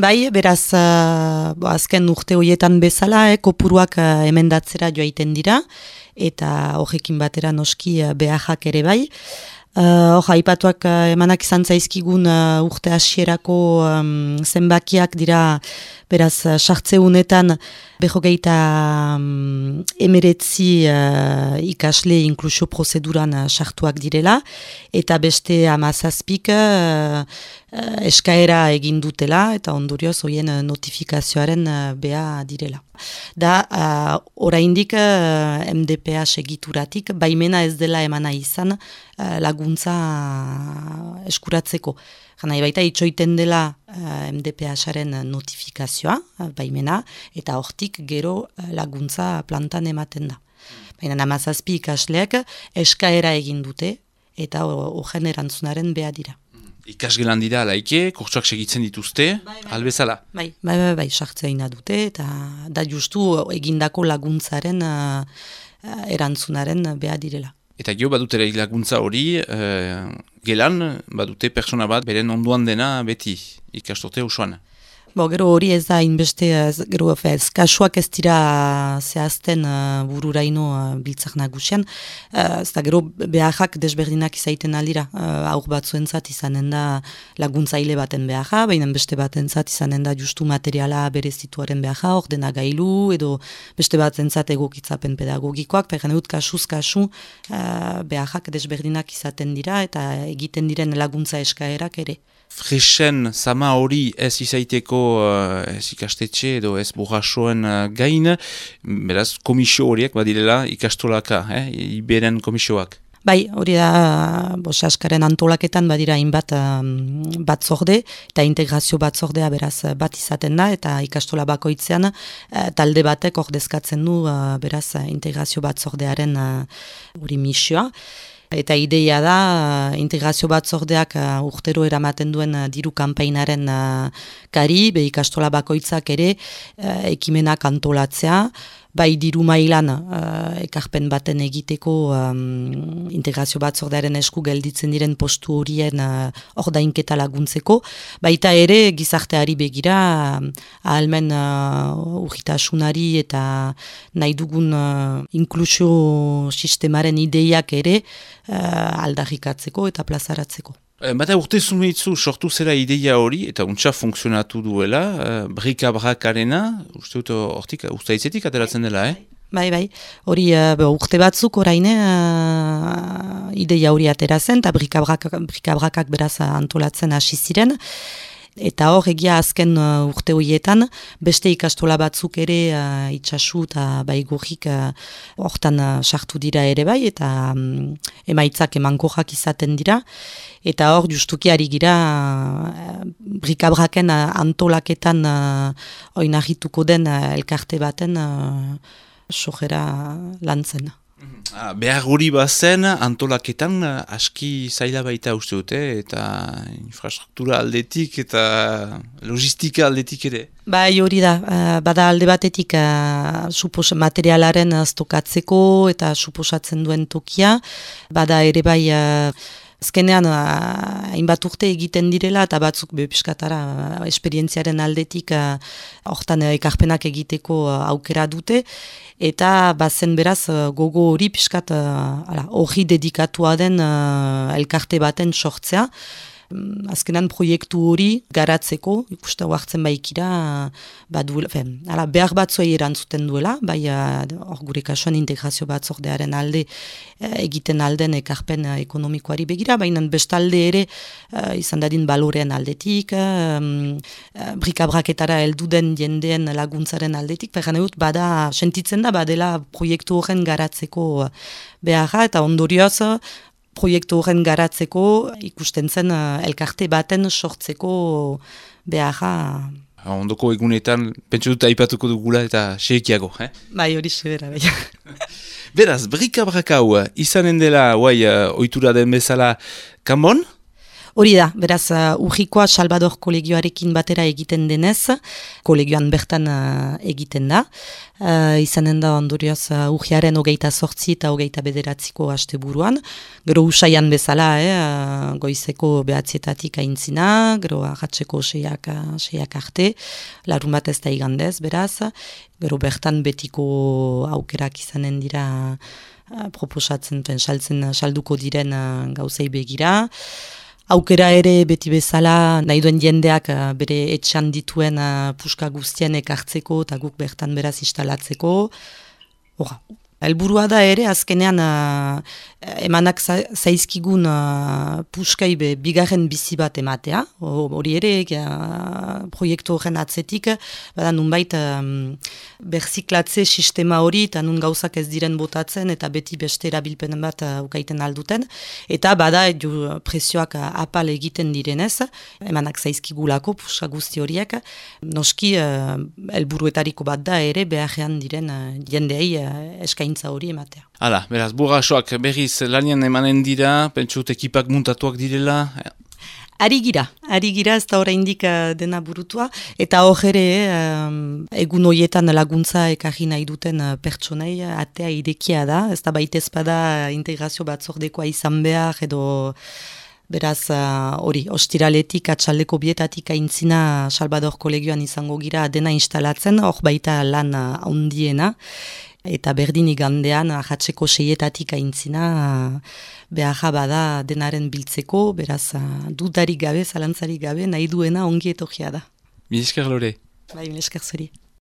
Bai, beraz, azken urte horietan bezala, kopuruak emendatzera joaiten dira, eta horrekin batera noski behajak ere bai. Aipatuak emanak izan zaizkigun urte hasierako zenbakiak dira, beraz, sartzeunetan behogeita emeretzi ikasle inklusio prozeduran sartuak direla, eta beste 17 eskaera egin dutela, eta ondorioz hoien notifikazioaren beha direla. Da, oraindik MDPA segituratik, baimena ez dela emana izan laguntza eskuratzeko. Jana, baita itxoiten dela MDPA-saren notifikazioa, baimena, eta hortik gero laguntza plantan ematen da. Baina 17 ikasleak eskaera egin dute, eta horren erantzunaren beha dira. Ikasgelan dira alaike, kurtsuak segitzen dituzte, albezala? Bai, sartzea dute, eta da justu egindako laguntzaren erantzunaren beha direla. Eta gero badutera laguntza hori, gelan badute persona bat beren onduan dena beti ikastorte osoan. Gero hori ez da inbeste, gero kasuak ez dira zehazten bururaino biltzak nagusian, ez da gero behajak desberdinak izaiten aldira, aur batzuentzat izanen da laguntzaile baten behaja, baina beste batentzat izanen da justu materiala berezituaren behaja, ordenagailu, edo beste batentzat egokitzapen pedagogikoak, pegan dut kasuz kasu behajak desberdinak izaten dira, eta egiten diren laguntza eskaerak ere. Fresen zama hori ez izaiteko ez ikastetxe edo ez burrasoen gain, beraz komisio horiek badirela ikastolaka, iberen komisioak. Bai, hori da, Saskaren antolaketan badira hainbat batzorde, eta integrazio batzordea beraz bat izaten da, eta ikastola bakoitzean talde batek ordezkatzen du beraz integrazio batzordearen hori misioa. Eta ideia da, integrazio batzordeak urtero eramaten duen diru kanpainaren kari, ikastola bakoitzak ere ekimenak antolatzea, bai diru mailan ekarpen baten egiteko integrazio batzordearen esku gelditzen diren postu horien ordainketa laguntzeko, baita ere gizarteari begira ahalmen urritasunari eta nahi dugun inklusio sistemaren ideiak ere aldarrikatzeko eta plazaratzeko. Bata urte zumeitzu sortu zera ideia hori, eta untsa funtzionatu duela, brika-brakarena, uste dut hortik, ustaitzetik ateratzen dela, Bai, hori urte batzuk oraine ideia hori atera zen, eta brika-brakak beraz antolatzen hasi ziren, eta hor egia azken urte horietan, beste ikastola batzuk ere itxasu eta baigurrik hortan sartu dira ere bai, eta emaitzak emankorrak izaten dira, eta hor justuki ari gira brikabraken antolaketan oinarrituko den elkarte baten sojera lantzen. Behar hori bazen antolaketan aski zaila baita uste dute, eta infrastruktura aldetik eta logistika aldetik ere. Bai hori da, bada alde batetik materialaren stokatzeko eta suposatzen duen tokia, bada ere bai azkenean hainbat urte egiten direla eta batzuk piskatara esperientziaren aldetik hortan ekarpenak egiteko aukera dute, eta bazen beraz gogo hori piskat hori dedikatua den elkarte baten sortzea. Azkenan proiektu hori garatzeko, ikuste hartzen baikira, behar batzuei erantzuten duela, bai gure kasuan integrazio batzordearen alde egiten alden ekarpen ekonomikoari begira, baina bestalde ere izan dadin balorean aldetik, brikabraketara helduden jendeen laguntzaren aldetik, bada sentitzen da, badela proiektu horren garatzeko beharra, eta ondorioz, proiektu horren garatzeko ikusten zen elkarte baten sortzeko beharra. Ondoko egunetan, pentsu dut aipatuko dugula eta xeekiago, Bai, hori sebera, bai. Beraz, brika-brakau izanen dela, ohitura den bezala, kanbon? Hori da, beraz, Urrikoa Salvador kolegioarekin batera egiten denez, kolegioan bertan egiten da. Izanen da ondorioz urriaren 28 eta 29 asteburuan. Gero usaian bezala, goizeko 9 aintzina, gero arratseko 6 arte, larun bat ez da igandez, beraz. Gero bertan betiko aukerak izanen dira proposatzen, salduko diren gauzei begira. Aukera ere beti bezala nahi duen jendeak bere etxan dituen puska guztien ekartzeko eta guk bertan beraz instalatzeko. Helburua da ere azkenean emanak zaizkigun puskai bigarren bizi bat ematea. Hori ere proiektu horren atzetik, bada nunbait berziklatze sistema hori eta nun gauzak ez diren botatzen eta beti beste erabilpen bat ukaiten alduten. Eta bada prezioak apal egiten direnez, emanak zaizkigulako puska guzti horiek. Noski helburuetariko bat da ere beharrean diren jendeei eskaintza hori ematea. Hala, beraz, Burrasoak berriz lanian emanen dira, pentsut ekipak muntatuak direla? Ari gira ez da oraindik dena burutua, eta hor ere egun horietan laguntza ekarri nahi duten pertsonei atea irekia da, ez da baitez bada integrazio batzordekoa izan behar edo. Beraz, hori, ostiraletik, atxaldeko bietatik aintzina Salvador kolegioan izango gira dena instalatzen, hor baita lan handiena, eta berdin igandean, ahatzeko 6 aintzina, beharra bada denaren biltzeko, beraz, dudarik gabe, zalantzarik gabe, nahi duena ongi etorria da. Mil esker Lore. Bai, mil esker zuri.